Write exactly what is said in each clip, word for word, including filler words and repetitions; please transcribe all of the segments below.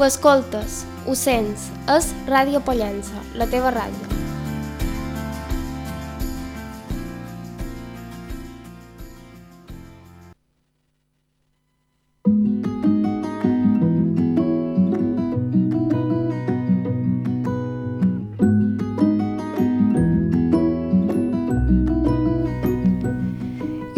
Ho escoltes, ho sents, és Ràdio Pollença, la teva ràdio.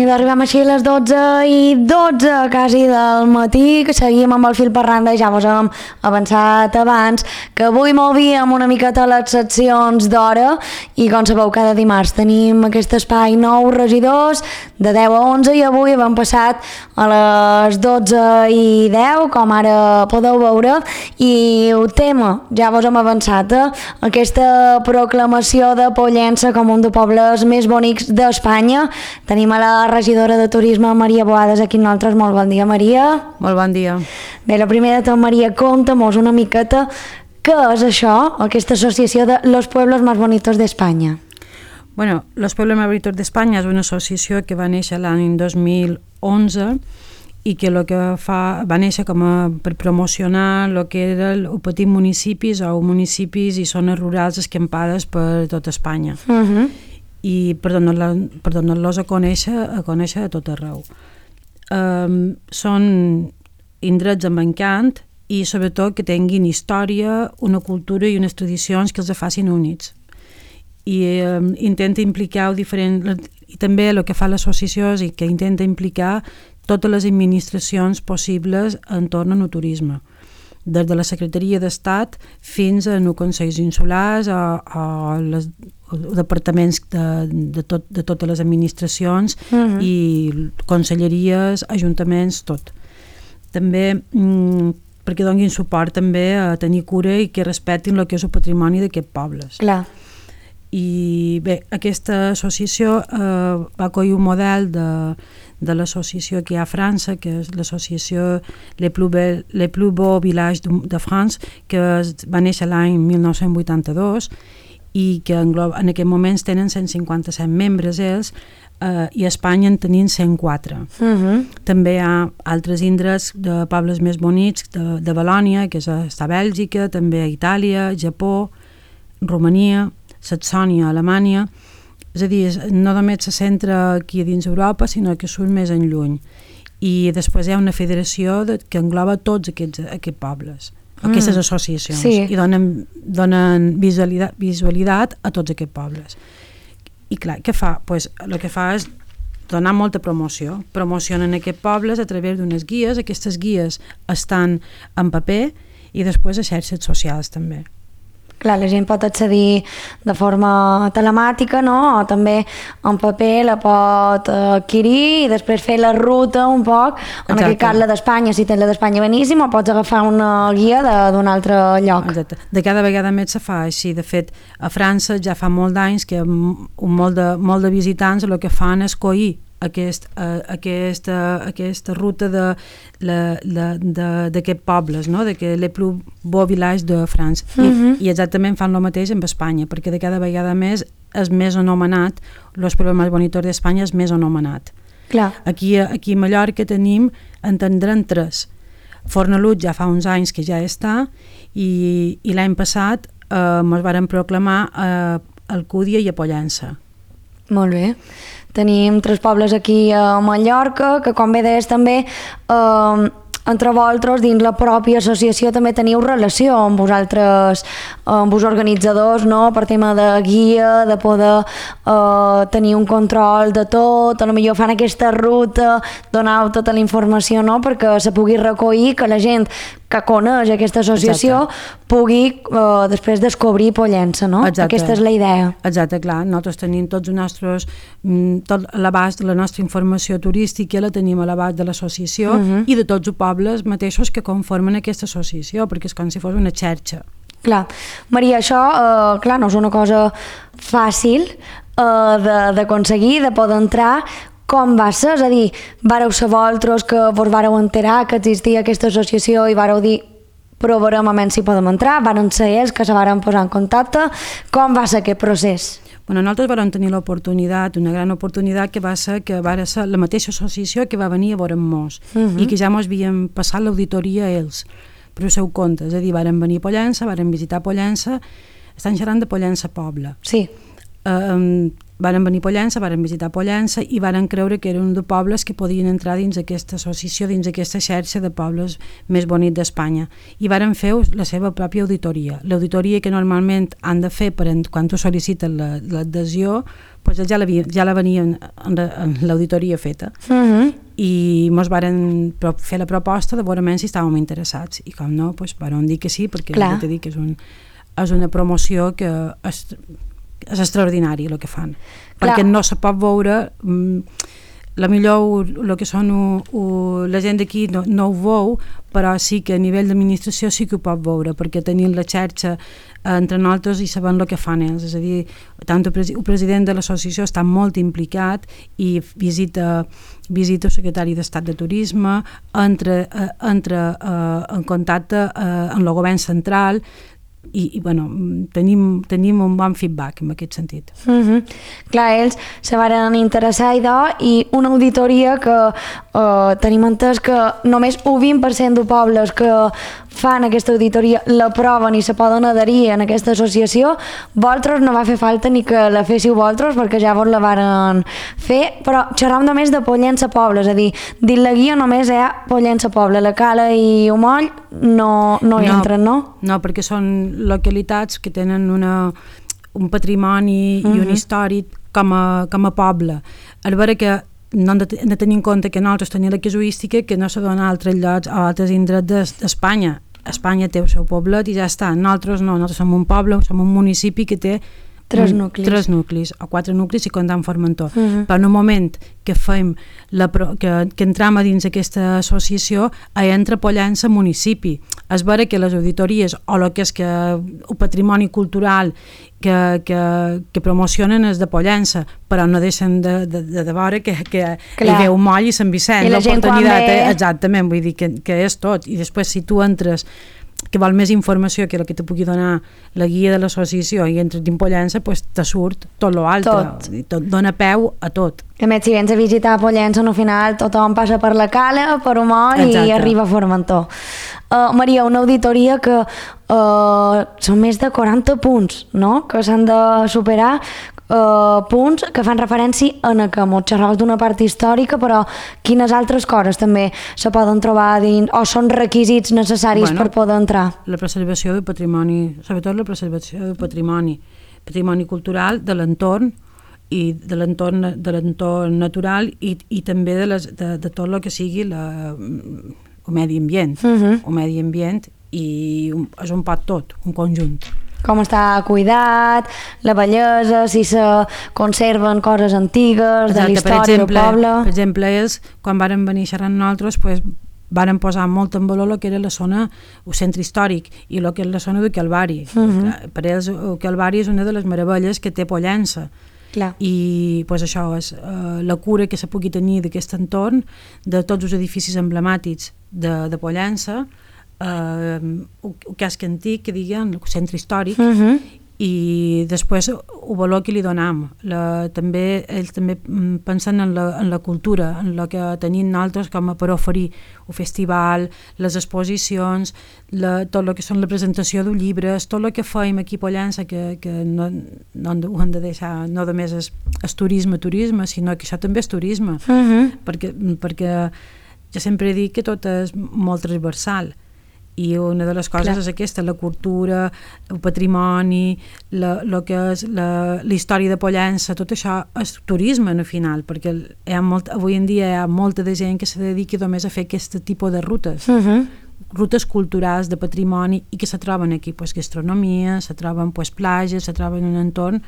I arribem així a les dotze i dotze quasi del matí, que seguim amb el fil per randa, ja vos hem avançat abans, que avui movíem una miqueta les seccions d'hora i com sabeu cada dimarts tenim aquest espai nou regidors de deu a onze i avui hem passat a les dotze i deu, com ara podeu veure, i el tema, ja vos hem avançat, eh? Aquesta proclamació de Pollença com un dels pobles més bonics d'Espanya. Tenim a la regidora de Turisme, Maria Boades, aquí amb nosaltres. Molt bon dia, Maria. Molt bon dia. Bé, la primera de tot, Maria, conta'm-nos una miqueta què és això, aquesta associació de Los Pueblos Más Bonitos d'Espanya. Bueno, Los Pueblos Más Bonitos d'Espanya és una associació que va néixer l'any dos mil onze i que, lo que fa, va néixer com a, per promocionar el que eren els petits municipis o municipis i zones rurals escampades per tot Espanya. Uh-huh. I per donar-los per donar a conèixer, a conèixer a tot arreu. Um, són indrets amb encant i sobretot que tinguin història, una cultura i unes tradicions que els facin units. I um, intenta implicar diferent, i també el que fa l'associació és que intenta implicar totes les administracions possibles entorn al turisme, des de la Secretaria d'Estat fins a els Consells Insulars o, o les departaments de, de, tot, de totes les administracions, uh-huh. i conselleries, ajuntaments, tot. També mm, perquè donin suport també a tenir cura i que respectin el que és el patrimoni d'aquests pobles. Clar. I bé, aquesta associació eh, va acollir un model de, de l'associació que hi ha a França, que és l'associació Les Plus Beaux, Les Plus Beaux Villages de, de France, que es, va néixer l'any mil nou-cents vuitanta-dos i que engloba, en aquest moments tenen cent cinquanta-set membres ells, eh, i a Espanya en tenien cent quatre. Uh-huh. També hi ha altres indrets de pobles més bonics de, de Valònia, que és a, està a Bèlgica, també a Itàlia, Japó, Romania, Saxònia, Alemanya. És a dir, no només se centra aquí dins Europa, sinó que surt més en lluny. I després hi ha una federació de, que engloba tots aquests, aquests pobles, mm. aquestes associacions, sí. I donen, donen visualitat, visualitat a tots aquests pobles. I clar, què fa? Pues, el que fa és donar molta promoció. Promocionen aquests pobles a través d'unes guies. Aquestes guies estan en paper i després a xarxes socials també. Clar, la gent pot accedir de forma telemàtica, no? O també en paper la pot adquirir i després fer la ruta un poc. En aquest cas la d'Espanya, si tens la d'Espanya beníssim, o pots agafar una guia d'un altre lloc. Exacte. De cada vegada més se fa així. De fet, a França ja fa molt d'anys que un molt de, molt de visitants el que fan és coir Aquest, uh, aquesta, aquesta ruta d'aquests pobles, no? De que les plus beaux villages de France. Uh-huh. I, I exactament fan el mateix amb Espanya, perquè de cada vegada més és més anomenat, Los Pueblos Más Bonitos d'Espanya és més anomenat. Clar. Aquí, aquí a Mallorca tenim, en tindrem tres. Fornalutx ja fa uns anys que ja està, i, i l'any passat eh, ens varen proclamar a Alcúdia i a Pollença. Molt bé. Tenim tres pobles aquí a Mallorca, que com bé deies també, eh, entre vosaltres, dins la pròpia associació, també teniu relació amb vosaltres, amb els organitzadors, no? Per tema de guia, de poder eh, tenir un control de tot, a lo millor fan aquesta ruta, donau tota la informació, no? Perquè se pugui recollir, que la gent que coneix aquesta associació Exacte. pugui eh, després descobrir Pollença, no? Exacte. Aquesta és la idea. Exacte, clar. Nosaltres tenim tots els nostres, tot l'abast de la nostra informació turística la tenim a l'abast de l'associació uh-huh. i de tots els pobles mateixos que conformen aquesta associació, perquè és com si fos una xarxa. Clar. Maria, això, eh, clar, no és una cosa fàcil eh, d'aconseguir, de, de poder entrar. Com va ser? És a dir, vareu ser vosaltres que vos vareu enterar que existia aquesta associació i vareu dir provarem a menys si podem entrar, varen ser ells que se varen posar en contacte. Com va ser aquest procés? Bueno, nosaltres vam tenir l'oportunitat, una gran oportunitat, que va ser que va ser la mateixa associació que va venir a veure'm-nos uh-huh. i que ja ens havien passat l'auditoria a ells. per el seu compte, és a dir, varen venir a Pollença, varen visitar Pollença, estan xerrant de Pollença Poble. Sí. Um, varen venir a Pollença, varen visitar Pollença i varen creure que eren un de pobles que podien entrar dins aquesta associació, dins aquesta xarxa de pobles més bonics d'Espanya, i varen fer la seva pròpia auditoria. L'auditoria que normalment han de fer per en, quan tu sol·licites l'adhesió, pues ja, ja la venien en l'auditoria feta. Uh-huh. I ens varen fer la proposta de veure si estàvem interessats, i com no, pues, varen dir que sí, perquè ja t'he dit que és, un, és una promoció que és, és extraordinari el que fan. Clar. Perquè no se pot veure, la millor el que són u, u, la gent d'aquí no, no ho veu, però sí que a nivell d'administració sí que ho pot veure, perquè tenim la xarxa entre nosaltres i sabem el que fan ells, és a dir, tant el, el president de l'associació està molt implicat i visita, visita el secretari d'Estat de Turisme, entra, entra eh, en contacte eh, amb el govern central, i, i bueno, tenim, tenim un bon feedback en aquest sentit. Mm-hmm. Clar, ells se varen interessar i una auditoria que eh, tenim entès que només un vint per cent de pobles que fan aquesta auditoria l'aproven i se poden adherir en aquesta associació. Vosaltres no va fer falta ni que la féssiu vosaltres perquè ja vos la varen fer, però xerram només de Pollença Poble, és a dir, dins la guia només hi ha Pollença Poble, la Cala i Omoll no, no hi no, entren, no? No, perquè són localitats que tenen una, un patrimoni uh-huh. i un històric com a, com a poble. A veure que no hem de, de tenir en compte que nosaltres tenim la casuística que no se dona a altres llocs o a altres indrets d'Espanya. Espanya té el seu poblet i ja està. Nosaltres no, nosaltres som un poble, som un municipi que té tres nuclis, tres nuclis o quatre nuclis i comptant Formentor. Uh-huh. Però en un moment que fem la, que, que entram a dins aquesta associació, hi entra Pollença municipi. És vera que les auditories o el que és que el patrimoni cultural que, que, que promocionen és de Pollença, però no deixen de, de, de, de veure que, que hi veu Moll i Sant Vicent. I la gent quan ve... Exactament, vull dir que, que és tot. I després si tu entres que vol més informació que el que te pugui donar la guia de l'associació i entres dins Pollença, pues, te surt tot l'altre, tot. tot dona peu a tot. A més, si vens a visitar Pollença, al final tothom passa per la Cala, per Omoll i arriba a Formentor. Uh, Maria, una auditoria que uh, són més de quaranta punts, no?, que s'han de superar, Uh, punts que fan referència a que mos xerraves d'una part històrica, però quines altres coses també se poden trobar dins, o són requisits necessaris bueno, per poder entrar? La preservació del patrimoni, sobretot la preservació del patrimoni, patrimoni cultural de l'entorn i de l'entorn de l'entorn natural i, i també de, les, de, de tot el que sigui la, el medi ambient, uh-huh. el medi ambient i un, és un pot tot, un conjunt. Com està cuidat, la bellesa, si se conserven coses antigues, exacte, de la història del poble... Per exemple, és, quan varen venir xerrant nosaltres, pues, varen posar molt en valor el que era la zona, el centre històric, i el que és la zona del Calvari. Uh-huh. Per ells, el Calvari és una de les meravelles que té Pollença. Clar. I pues, això és uh, la cura que se pugui tenir d'aquest entorn, de tots els edificis emblemàtics de, de Pollença, Uh, el casc antic, que diguen, el centre històric, uh-huh. i després el valor que li donam. La, també, ells també pensen en la, en la cultura, en el que tenim nosaltres com a per oferir el festival, les exposicions, la, tot el que són la presentació de llibres, tot el que fem aquí a Pollença, que, que no, no ho hem de deixar, no només és, és turisme, turisme, sinó que això també és turisme, uh-huh. perquè, perquè jo sempre dic que tot és molt transversal, i una de les coses Clar. És aquesta, la cultura, el patrimoni, la, lo que és la, la història de Pollença, tot això és turisme al final, perquè hi ha molt, avui en dia hi ha molta de gent que se dedica només a fer aquest tipus de rutes, uh-huh. rutes culturals de patrimoni i que se troben aquí, pues, gastronomia, se troben pues, platges, se troben un entorn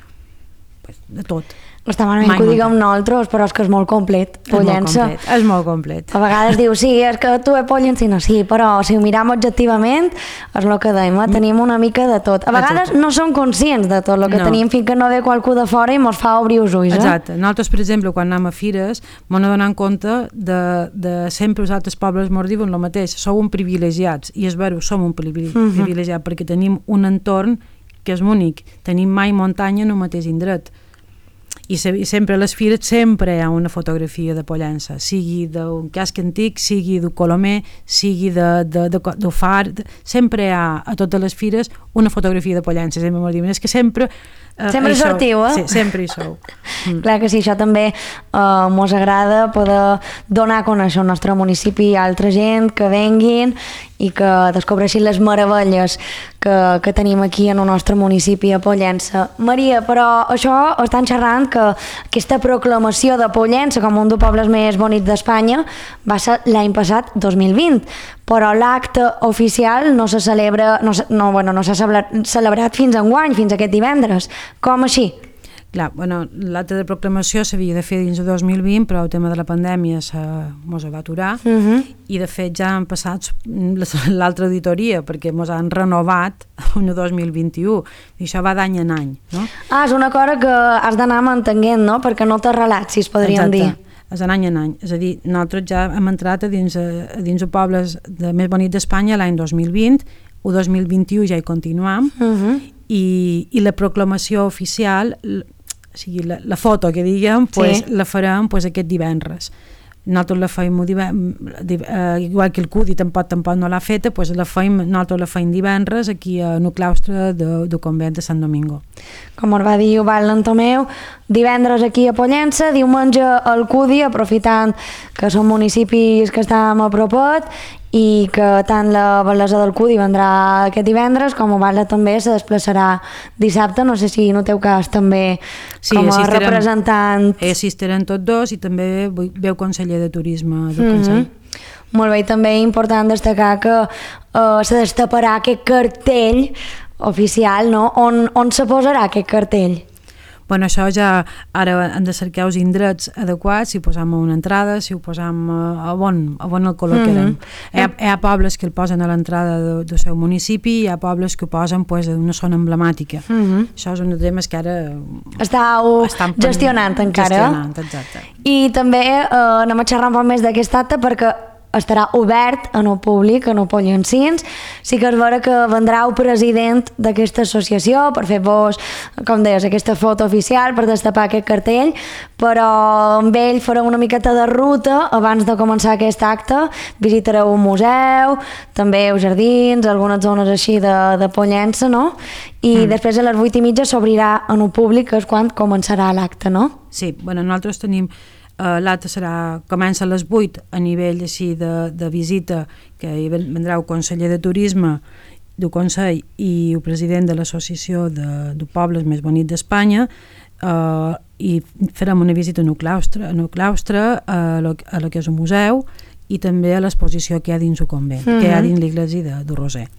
pues, de tot. Està malament que ho diguem nosaltres, però és que és molt complet, Pollença. És molt complet, és molt complet. A vegades diu, sí, és que tu ets pollencina, sí, però si ho miram objectivament, és el que deim, eh? Tenim una mica de tot. A vegades Exacte. No som conscients de tot el que no. tenim fins que no ve qualcú de fora i mos fa obrir els ulls. Eh? Exacte. Nosaltres, per exemple, quan anem a fires, m'ho donem compte de, de sempre els altres pobles mos diuen el mateix, sou un privilegiats, i és vera, som un privilegiat, uh-huh. perquè tenim un entorn que és únic, tenim mai muntanya en el mateix indret. i, se, i sempre a les fires sempre hi ha una fotografia de Pollença, sigui d'un casc antic, sigui d'un colomer, sigui de, de, de, de far, sempre hi ha a totes les fires una fotografia de Pollença, sempre m'ho diuen, és que sempre Uh, sempre hi sortiu, eh? Sí, sempre hi sou. Mm. Clar que sí, això també uh, mos agrada poder donar a conèixer el nostre municipi a altra gent que venguin i que descobreixin les meravelles que, que tenim aquí en el nostre municipi a Pollença. Maria, però això estan xerrant que aquesta proclamació de Pollença com un dels pobles més bonics d'Espanya va ser l'any passat, dos mil vint, però l'acte oficial no se celebra, no, no, bueno, no s'ha celebrat fins enguany, fins aquest divendres. Com així? Clar, bueno, l'acte de proclamació s'havia de fer dins de dos mil vint, però el tema de la pandèmia mos va aturar, uh -huh. i de fet ja han passat l'altra auditoria, perquè mos han renovat un dos mil vint-i-u, i això va d'any en any. No? Ah, és una cosa que has d'anar mantenint, no? Perquè no t'ha relat, si es podríem Exacte. dir. És d'any en any, és a dir, nosaltres ja hem entrat a dins, a dins els pobles de més bonics d'Espanya l'any dos mil vint, el dos mil vint-i-u ja hi continuam, uh -huh. i, i la proclamació oficial, o sigui, la, la foto que diguem, pues, sí. la farem pues, aquest divendres. Nosaltres la feim uh, igual que el C U D I tampoc, tampoc no l'ha feta, pues la feim, nosaltres la feim divendres aquí a el claustre del de convent de Sant Domingo. Com us va dir Val Lantomeu, divendres aquí a Pollença, diumenge al C U D I, aprofitant que són municipis que estem a propet i que tant la bellesa del C U D I vendrà aquest divendres, com Val també se desplaçarà dissabte, no sé si en el teu cas també sí, com a representant. Sí, assistiran tots dos i també veu conseller de turisme del Consell. Mm-hmm. Molt bé, i també important destacar que uh, se destaparà aquest cartell oficial, no? On, on se posarà aquest cartell? Bueno, això ja ara hem de cercar els indrets adequats, si ho posam a una entrada, si ho posam a, a, on, a on el col·locarem. Mm -hmm. hi, ha, hi ha pobles que el posen a l'entrada del de seu municipi, hi ha pobles que ho posen pues, en una zona emblemàtica. Mm -hmm. Això és un dels temes que ara estàu gestionant encara. Gestionant, exacte. I també eh, anem a xerrar un poc més d'aquest acte perquè estarà obert en el públic, en el Pollencins. Sí que és vera que vendrà el president d'aquesta associació per fer-vos, com deies, aquesta foto oficial, per destapar aquest cartell, però amb ell farà una miqueta de ruta abans de començar aquest acte. Visitareu un museu, també els jardins, algunes zones així de, de Pollença, no? I mm. després a les vuit i mitja s'obrirà en el públic, que és quan començarà l'acte, no? Sí, bueno, nosaltres tenim Uh, l'acte serà, comença a les vuit a nivell així de, de visita, que hi vendrà el conseller de turisme del Consell i el president de l'associació de, de pobles més bonics d'Espanya, uh, i farem una visita en el claustre, en el claustre a, lo, a lo que és un museu i també a l'exposició que hi ha dins el convent, mm-hmm. que hi ha dins l'església de, de Roser.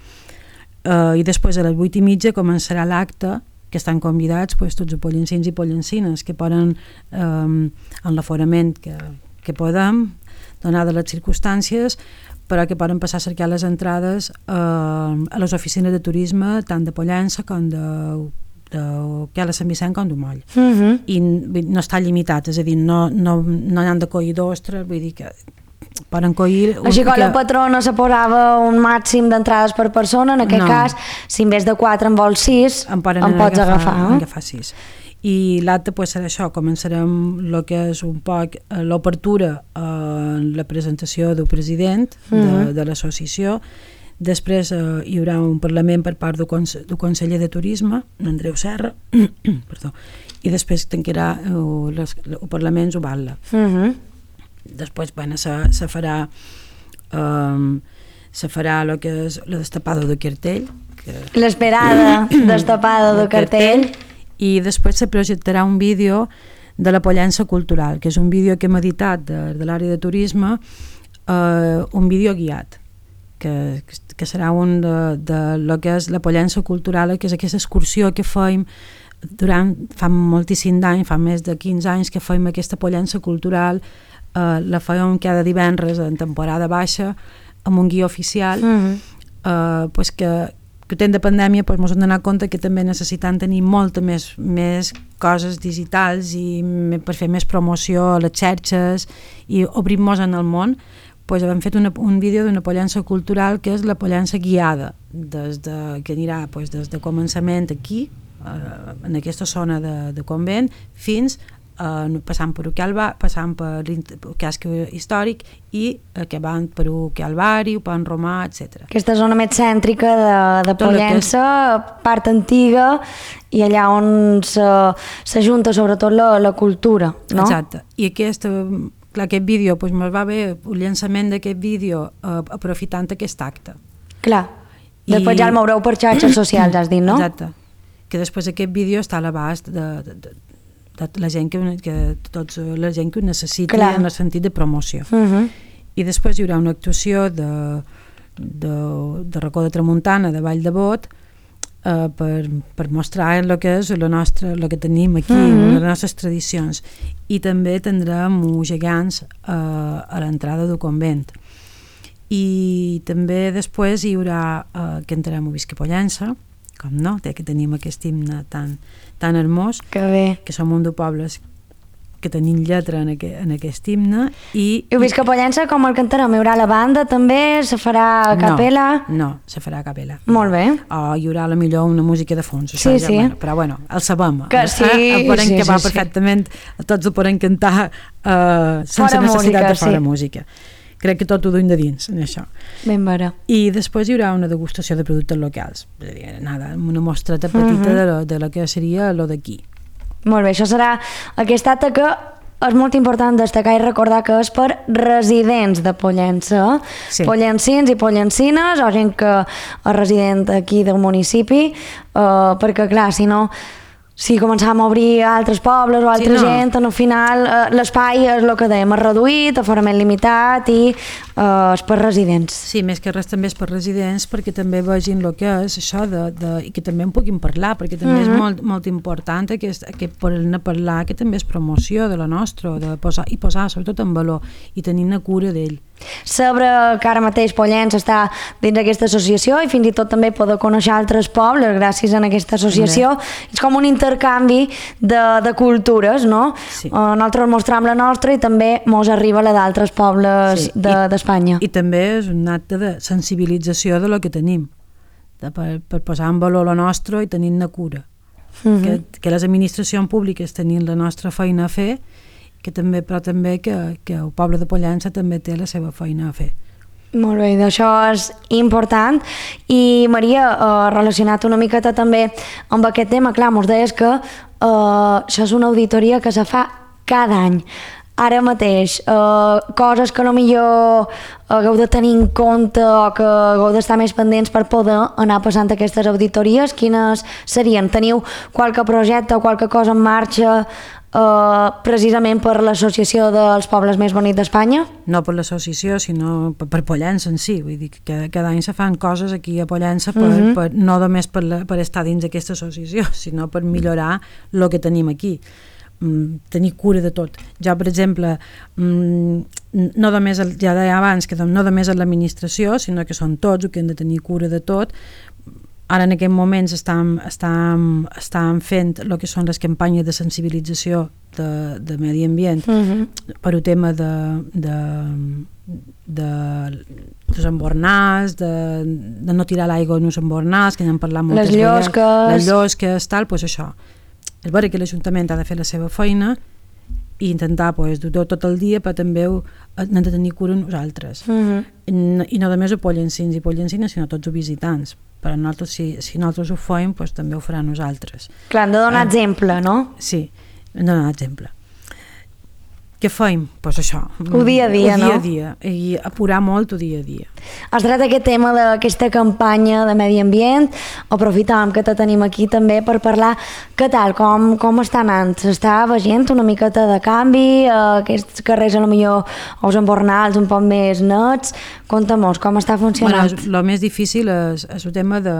Uh, I després a les vuit i mitja començarà l'acte, que estan convidats pues, tots els pollencins i pollencines que poden, eh, en l'aforament que, que podem, donades les circumstàncies, però que poden passar a cercar les entrades eh, a les oficines de turisme, tant de Pollença com de, de que a la Sant Vicent com de Moll. Uh-huh. I no està limitat, és a dir, no, no, no hi han de coir dos, tres, vull dir que poden coir... Així que la patrona se posava un màxim d'entrades per persona, en aquest no. cas, si en vez de quatre en vols sis, en, en pots agafar. agafar eh? agafar sis. I l'acte pues, serà això, començarem el que és un poc l'obertura en la presentació del president de, mm-hmm. de l'associació. Després eh, hi haurà un parlament per part del, conse del conseller de turisme, Andreu Serra, perdó, i després tancarà el, les, el parlament Zubatla. Mm-hmm. Després, bueno, se, se farà um, se farà el que és la destapada del cartell, l'esperada destapada del cartell, i després se projectarà un vídeo de la Pollença Cultural, que és un vídeo que hem editat de, de l'àrea de turisme, uh, un vídeo guiat, que, que serà un de, de lo que és la Pollença Cultural, que és aquesta excursió que fèiem durant, fa moltíssim d'anys, fa més de quinze anys que fèiem aquesta Pollença Cultural. Uh, la fèiem cada divendres en temporada baixa amb un guia oficial, mm-hmm. uh, pues que, que temps de pandèmia pues, ens hem donat compte que també necessitem tenir molta més, més coses digitals i me, per fer més promoció a les xarxes i obrir-nos en el món. Pues, hem fet una, un vídeo d'una Pollença Cultural que és la Pollença guiada, des de, que anirà pues, des de començament aquí, en aquesta zona de, de convent, fins eh, passant per Ucalva, passant per el casc històric i acabant per Ucalvari, Pont Romà, etcètera. Aquesta zona més cèntrica de, de Pollença, és... part antiga, i allà on s'ajunta sobretot la, la cultura, no? Exacte. I aquest, clar, aquest vídeo, doncs me'l va bé el llançament d'aquest vídeo eh, aprofitant aquest acte. Clar. Després I... ja el moureu per xarxes socials, has dit, no? Exacte. Que després aquest vídeo està a l'abast de, de, de, de la gent que, que tots la gent que ho necessiti Clar. En el sentit de promoció. Uh-huh. I després hi haurà una actuació de, de, de Racó de Tramuntana, de Vall de Bot, eh, per, per mostrar el que és la nostra, el que tenim aquí, uh-huh. les nostres tradicions. I també tindrem uns gegants eh, a l'entrada del convent. I també després hi haurà eh, que entrarem a Visca Pollença, com no, té que tenim aquest himne tan, tan hermós, que, bé. que som un de pobles que tenim lletra en, aqu en aquest himne. I, I Visca Pollença, com el cantarem? Hi haurà la banda també? Se farà a capella? No, no, se farà a capella. Molt bé. O hi haurà la millor una música de fons, això sí, ja, sí. Bueno, però bueno, el sabem. Que sí, eh? El podem sí, acabar sí, perfectament, sí. Tots ho podem cantar eh, sense fora necessitat música, de fora sí. música. Crec que tot ho duim de dins, en això. Ben vera. I després hi haurà una degustació de productes locals. És a dir, nada, una mostreta petita uh-huh. de, lo, de lo que seria lo d'aquí. Molt bé, això serà aquesta acte que és molt important destacar i recordar que és per residents de Pollença, sí. Pollencins i pollencines, o gent que és resident aquí del municipi, eh, perquè clar, si no... Si començàvem a obrir a altres pobles o a altra sí, no. gent, al final eh, l'espai és el que dèiem, és reduït, aforament limitat i eh, és per residents. Sí, més que res també és per residents perquè també vegin el que és això de, de, i que també en puguin parlar, perquè també mm-hmm. és molt, molt important aquest, aquest poder-ne parlar, que també és promoció de la nostra, de posar, i posar sobretot en valor i tenir-ne cura d'ell. Sabre que ara mateix Pollença està dins d'aquesta associació i fins i tot també poder conèixer altres pobles gràcies a aquesta associació. També. És com un intercanvi de, de cultures, no? Sí. Uh, nosaltres mostrem la nostra i també mos arriba la d'altres pobles sí. d'Espanya. De, I, I també és un acte de sensibilització de lo que tenim, de, per, per posar en valor la nostra i tenir-ne cura. Uh-huh. que, que les administracions públiques tenien la nostra feina a fer, que també, però també que, que el poble de Pollença també té la seva feina a fer. Molt bé, això és important. I Maria, eh, relacionat una miqueta també amb aquest tema, clar, mos deies que eh, això és una auditoria que se fa cada any. Ara mateix, eh, coses que potser hagueu de tenir en compte o que hagueu d'estar més pendents per poder anar passant aquestes auditories, quines serien? Teniu qualque projecte o qualque cosa en marxa Uh, precisament per l'associació dels pobles més bonics d'Espanya? No per l'associació, sinó per, per Pollença en si. Vull dir que cada any se fan coses aquí a Pollença per, uh-huh. per, no només per, la, per estar dins d'aquesta associació, sinó per millorar el que tenim aquí. Mm, tenir cura de tot. Jo, per exemple, mm, no només, ja deia abans, que no només és l'administració, sinó que són tots els que han de tenir cura de tot. Ara en aquests moments estem, estem, estem fent el que són les campanyes de sensibilització de, de medi ambient uh-huh. per un tema de, de, de, dels embornals, de, de no tirar l'aigua en els embornals, que n'hem parlat moltes les llosques. vegades. Les llosques, tal, doncs això. És vera que l'Ajuntament ha de fer la seva feina i intentar pues, dur tot el dia, però també n'hem de tenir cura nosaltres. Uh-huh. I, I no només a pollencins i pollencines, sinó tots els visitants. Però nosaltres, si, si nosaltres ho fem, pues, també ho farà nosaltres. Clar, hem de donar eh, exemple, no? Sí, hem de donar exemple. Què fem? Doncs pues això. El dia a dia, el no? El dia a dia, i apurar molt el dia a dia. Has tret aquest tema d'aquesta campanya de medi ambient, aprofitàvem que te tenim aquí també per parlar què tal, com, com està anant? S'està veient una miqueta de canvi, eh, aquests carrers a lo millor els embornals un poc més nets, conta-mos, com està funcionant? Bueno, el més difícil és, és el tema de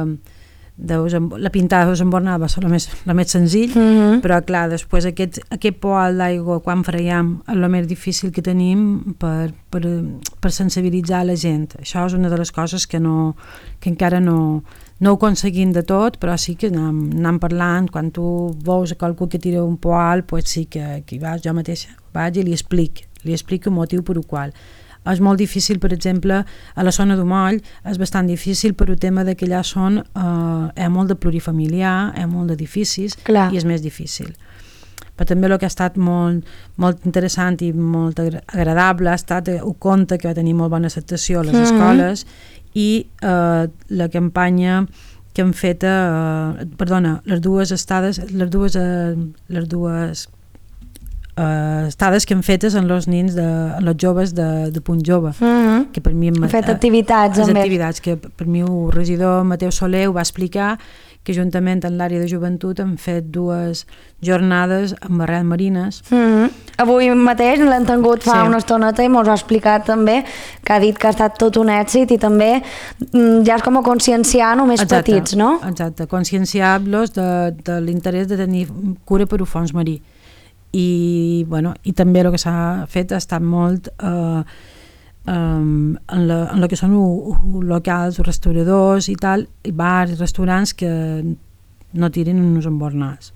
de la pintada dels embornals va ser el més, el més senzill, mm-hmm. però clar, després aquest, aquest poal d'aigua quan freiem és el més difícil que tenim per, per, per sensibilitzar la gent. Això és una de les coses que, no, que encara no, no ho aconseguim de tot, però sí que anem, anem parlant. Quan tu veus a qualcú que tira un poal, pues sí que, que vas, jo mateixa vaig i li explico, li explico el motiu per el qual. És molt difícil, per exemple, a la zona d'Umoll és bastant difícil per el tema que allà són, eh, hi ha molt de plurifamiliar, hi ha molt d'edificis i és més difícil. però també el que ha estat molt, molt interessant i molt agradable ha estat un conte que va tenir molt bona acceptació a les mm-hmm. escoles i eh, la campanya que han fet, eh, perdona, les dues estades, les dues, eh, les dues Uh, estades que han fetes en els nins de, en els joves de, de Punt Jove mm-hmm. que per mi han fet activitats, uh, activitats que per mi el regidor Mateu Soler ho va explicar, que juntament amb l'àrea de joventut han fet dues jornades amb barrets marines. Mm-hmm. Avui mateix l'hem tingut fa sí. una estoneta i mos ha explicat també, que ha dit que ha estat tot un èxit i també ja és com a conscienciar només exacte, petits, no? Exacte, conscienciar-los de, de l'interès de tenir cura per un fons marí. I, bueno, i també el que s'ha fet ha estat molt eh, um, en, la, en el que són u, u, locals, restauradors i tal, i bars i restaurants que no tirin uns embornals.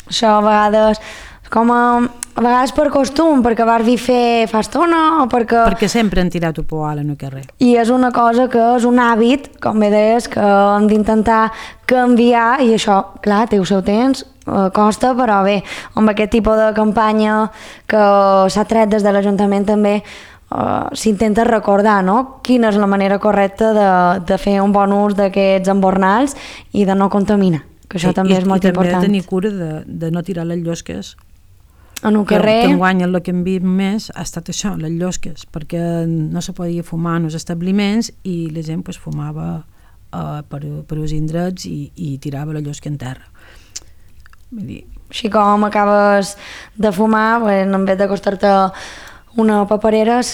Això a vegades com a, a vegades per costum, perquè vas vi fer fa estona o perquè... Perquè sempre han tirat un poal en el carrer. I és una cosa que és un hàbit, com bé deies, que hem d'intentar canviar i això, clar, té el seu temps, eh, costa, però bé, amb aquest tipus de campanya que s'ha tret des de l'Ajuntament també eh, s'intenta recordar, no?, quina és la manera correcta de, de fer un bon ús d'aquests embornals i de no contaminar, que això sí, també i, és molt i important. I també de tenir cura de, de no tirar les llosques. En un carrer... Que, que enguany el que hem vist més ha estat això, les llosques, perquè no se podia fumar en els establiments i la gent pues, fumava uh, per, per els indrets i, i tirava la llosca en terra. Vull dir... Així com acabes de fumar, bueno, en vez de costar-te una paperera,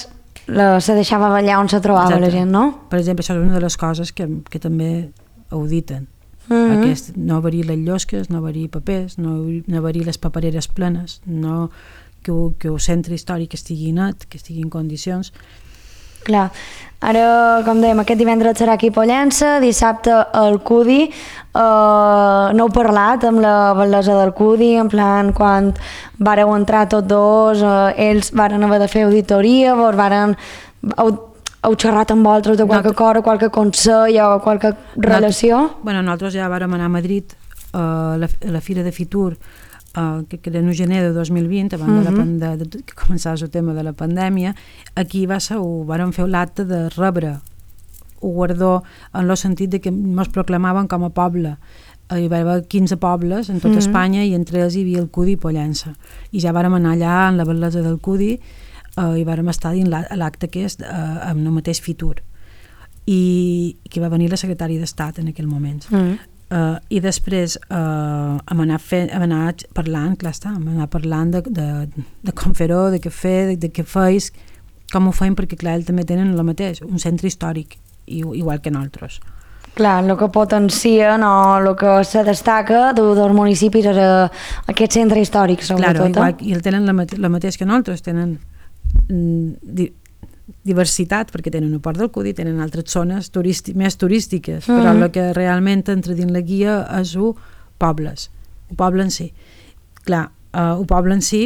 la, se deixava ballar on se trobava Exacte. La gent, no? Per exemple, això és una de les coses que, que també auditen. Mm-hmm. Aquest, no haver-hi les llosques, no haver-hi papers, no, no haver-hi les papereres plenes, no, que, que el centre històric estigui net, que estigui en condicions. Clar, ara, com dèiem, aquest divendres serà aquí a Pollença, dissabte al Cudi, eh, no heu parlat amb la batllessa del Cudi, en plan, quan vareu entrar tots dos, eh, ells varen haver de fer auditoria, vos varen... heu xerrat amb vosaltres de qualque Not... cosa, qualque consell o qualque relació? Not... Bueno, nosaltres ja vàrem anar a Madrid uh, a, la, a la Fira de Fitur, uh, que, que era en gener de dos mil vint, abans mm-hmm. de, la, de, de que començava el tema de la pandèmia. Aquí va ser, ho vàrem fer l'acte de rebre un guardó en el sentit de que ens proclamaven com a poble. Uh, hi va haver quinze pobles en tota mm-hmm. Espanya i entre ells hi havia el Cudi i Pollença. I ja vàrem anar allà en la batllessa del Cudi Uh, i vàrem estar dins l'acte aquest uh, amb el mateix Fitur i que va venir la secretària d'Estat en aquell moment mm. uh, i després uh, hem, anat fe, hem anat parlant clar està, hem anat parlant de, de, de com fer-ho, de què fer, de, de què feis, com ho feim, perquè clar, ells també tenen el mateix, un centre històric igual que nosaltres. Clar, el que potencien o el que se destaca de, dels municipis és aquest centre històric, sobretot. Claro, igual, i el tenen la, mate, la mateix que nosaltres, tenen Di, diversitat, perquè tenen un port del Cudi, tenen altres zones turísti, més turístiques, mm. però el que realment entra dins la guia és un pobles, un poble en si. Clar, uh, un poble en si,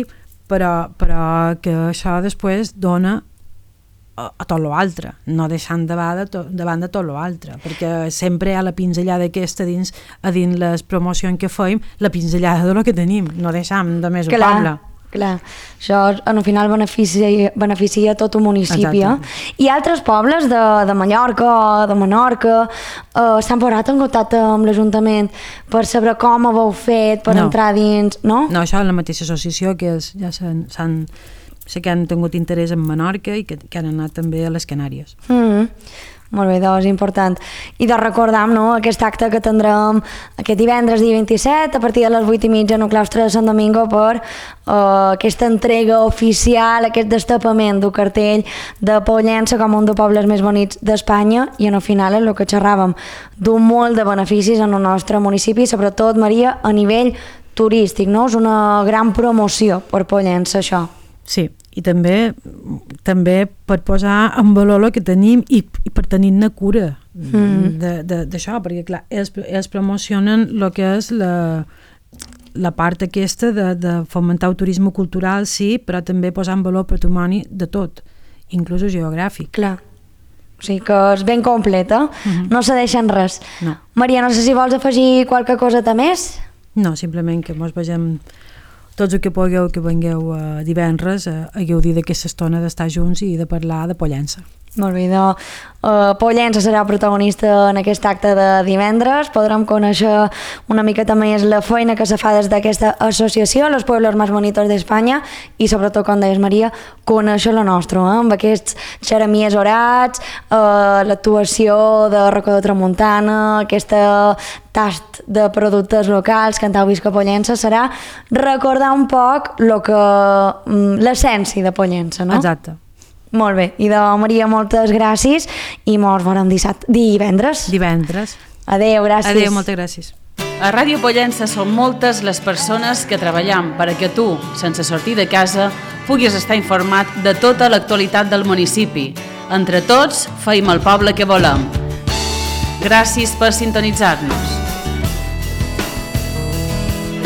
però, però que això després dona a, a tot l'altre, no deixant davant de, to, davant de tot l'altre, perquè sempre hi ha la pinzellada aquesta dins, a dins les promocions que fem, la pinzellada de lo que tenim, no deixam de més un poble. Clar, això al final beneficia, beneficia tot un municipi. Eh? I altres pobles de, de Mallorca o de Menorca eh, s'han posat en contacte amb l'Ajuntament per saber com ho heu fet, per no. entrar dins, no? No, això és la mateixa associació que és, ja s'han, s'han, sé que han tingut interès en Menorca i que, que han anat també a les Canàries. Mm-hmm. Molt bé, doncs, important. I de recordar, no?, aquest acte que tindrem aquest divendres, dia vint-i-set, a partir de les vuit i mitja en el claustre de Sant Domingo per uh, aquesta entrega oficial, aquest destapament del cartell de Pollença com un dels pobles més bonics d'Espanya i en el final és el que xerràvem, d'un molt de beneficis en el nostre municipi, sobretot, Maria, a nivell turístic, no? És una gran promoció per Pollença, això. Sí, i també també per posar en valor el que tenim i, i per tenir-ne cura mm. d'això, perquè clar, ells, ells promocionen el que és la, la part aquesta de, de fomentar el turisme cultural, sí, però també posar en valor patrimoni de tot, inclús geogràfic. Clar. O sigui que és ben completa, mm-hmm. no se deixen res. No. Maria, no sé si vols afegir qualque coseta més? No, simplement que mos vegem tots el que pugueu que vengueu uh, divendres uh, a gaudir d'aquesta estona d'estar junts i de parlar de Pollença. Molt bé, doncs uh, Pollença serà protagonista en aquest acte de divendres. Podrem conèixer una miqueta més la feina que se fa des d'aquesta associació, Los Pueblos Más Bonitos d'Espanya, i sobretot, com deies, Maria, conèixer la nostra, eh? Amb aquests xeramies orats, uh, l'actuació de Racó de Tramuntana, aquesta tast de productes locals que en tau vist que Pollença serà recordar un poc lo que, l'essència de Pollença, no? Exacte. Molt bé, i de Maria, moltes gràcies i mos veurem dissabte, divendres. Divendres. Adéu, gràcies. Adéu, moltes gràcies. A Ràdio Pollença són moltes les persones que treballem perquè tu, sense sortir de casa, puguis estar informat de tota l'actualitat del municipi. Entre tots, feim el poble que volem. Gràcies per sintonitzar-nos.